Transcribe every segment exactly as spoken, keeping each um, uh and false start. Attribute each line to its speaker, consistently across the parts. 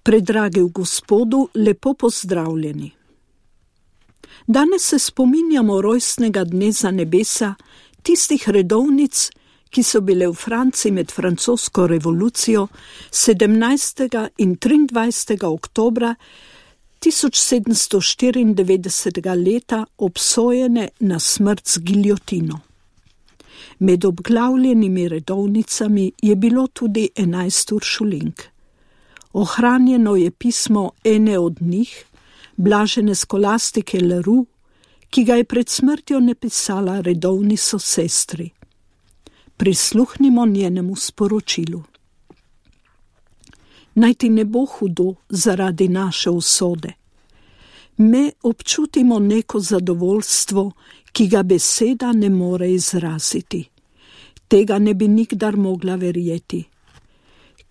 Speaker 1: Predragi v Gospodu, lepo pozdravljeni. Danes se spominjamo rojstnega dne za nebesa, tistih redovnic, ki so bile v Franciji med francosko revolucijo sedemnajstega in triindvajsetega oktobra tisoč sedemsto štiriindevetdesetega leta obsojene na smrt z giljotino. Med obglavljenimi redovnicami je bilo tudi enajst uršulink. Ohranjeno je pismo ene od njih, blažene Skolastike Leroux, ki ga je pred smrtjo napisala redovni sosestri. Prisluhnimo njenemu sporočilu. Naj ti ne bo hudo zaradi naše usode. Me občutimo neko zadovoljstvo, ki ga beseda ne more izraziti. Tega ne bi nikdar mogla verjeti.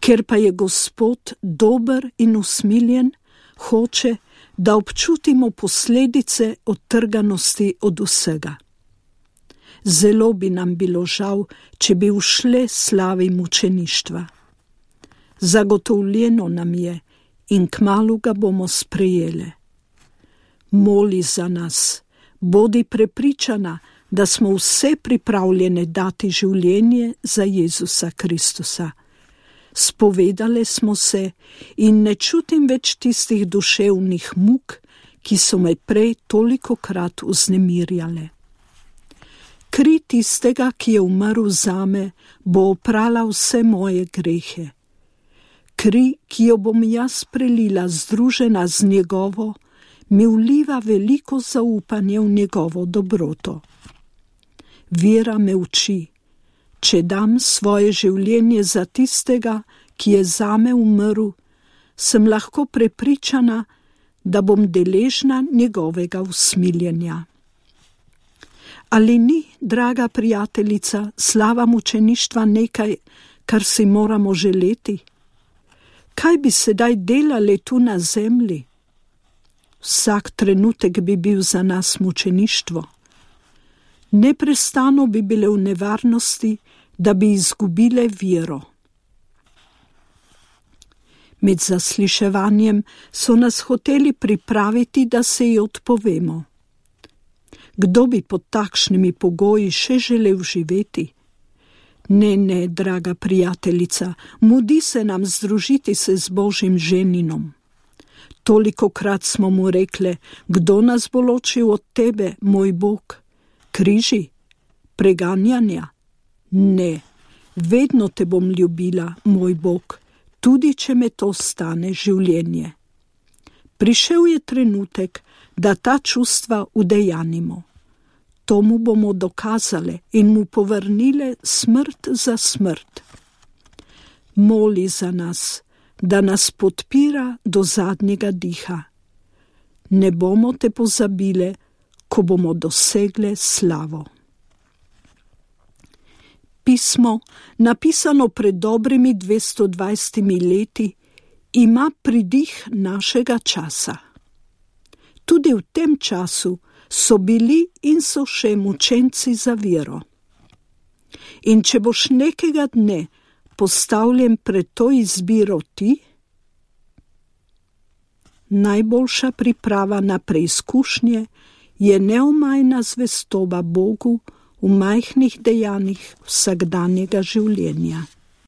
Speaker 1: Ker pa je Gospod dober in usmiljen, hoče, da občutimo posledice odtrganosti od vsega. Zelo bi nam bilo žal, če bi ušle slavi mučeništva. Zagotovljeno nam je in kmalu ga bomo sprejele. Moli za nas, bodi prepričana, da smo vse pripravljene dati življenje za Jezusa Kristusa. Spovedale smo se in ne čutim več tistih duševnih muk, ki so me prej tolikokrat vznemirjale. Kri tistega, ki je umrl zame, bo oprala vse moje grehe. Kri, ki jo bom jaz prelila združena z njegovo, mi vliva veliko zaupanje v njegovo dobroto. Vera me uči, če dam svoje življenje za tistega, ki je zame umrl, sem lahko prepričana, da bom deležna njegovega usmiljenja. Ali ni, draga prijateljica, slava mučeništva nekaj, kar si moramo želeti? Kaj bi sedaj delali tu na zemlji? Vsak trenutek bi bil za nas mučeništvo. Neprestano bi bile v nevarnosti, da bi izgubile vero. Med zasliševanjem so nas hoteli pripraviti, da se ji odpovemo. Kdo bi pod takšnimi pogoji še želel živeti? Ne, ne, draga prijateljica, mudi se nam združiti se z Božjim ženinom. Tolikokrat smo mu rekle, kdo nas bo ločil od tebe, moj Bog? Križi? Preganjanja? Ne, vedno te bom ljubila, moj Bog, tudi če me to stane življenje. Prišel je trenutek, da ta čustva udejanimo. To mu bomo dokazale in mu povrnile smrt za smrt. Moli za nas, da nas podpira do zadnjega diha. Ne bomo te pozabile, ko bomo dosegle slavo. Pismo, napisano pred dobrimi dvesto dvajsetimi leti, ima pridih našega časa. Tudi v tem času so bili in so še mučenci za vero. In če boš nekega dne postavljen pred to izbiro ti, najboljša priprava na preizkušnje je neomajna zvestoba Bogu v majhnih dejanjih vsakdanjega življenja.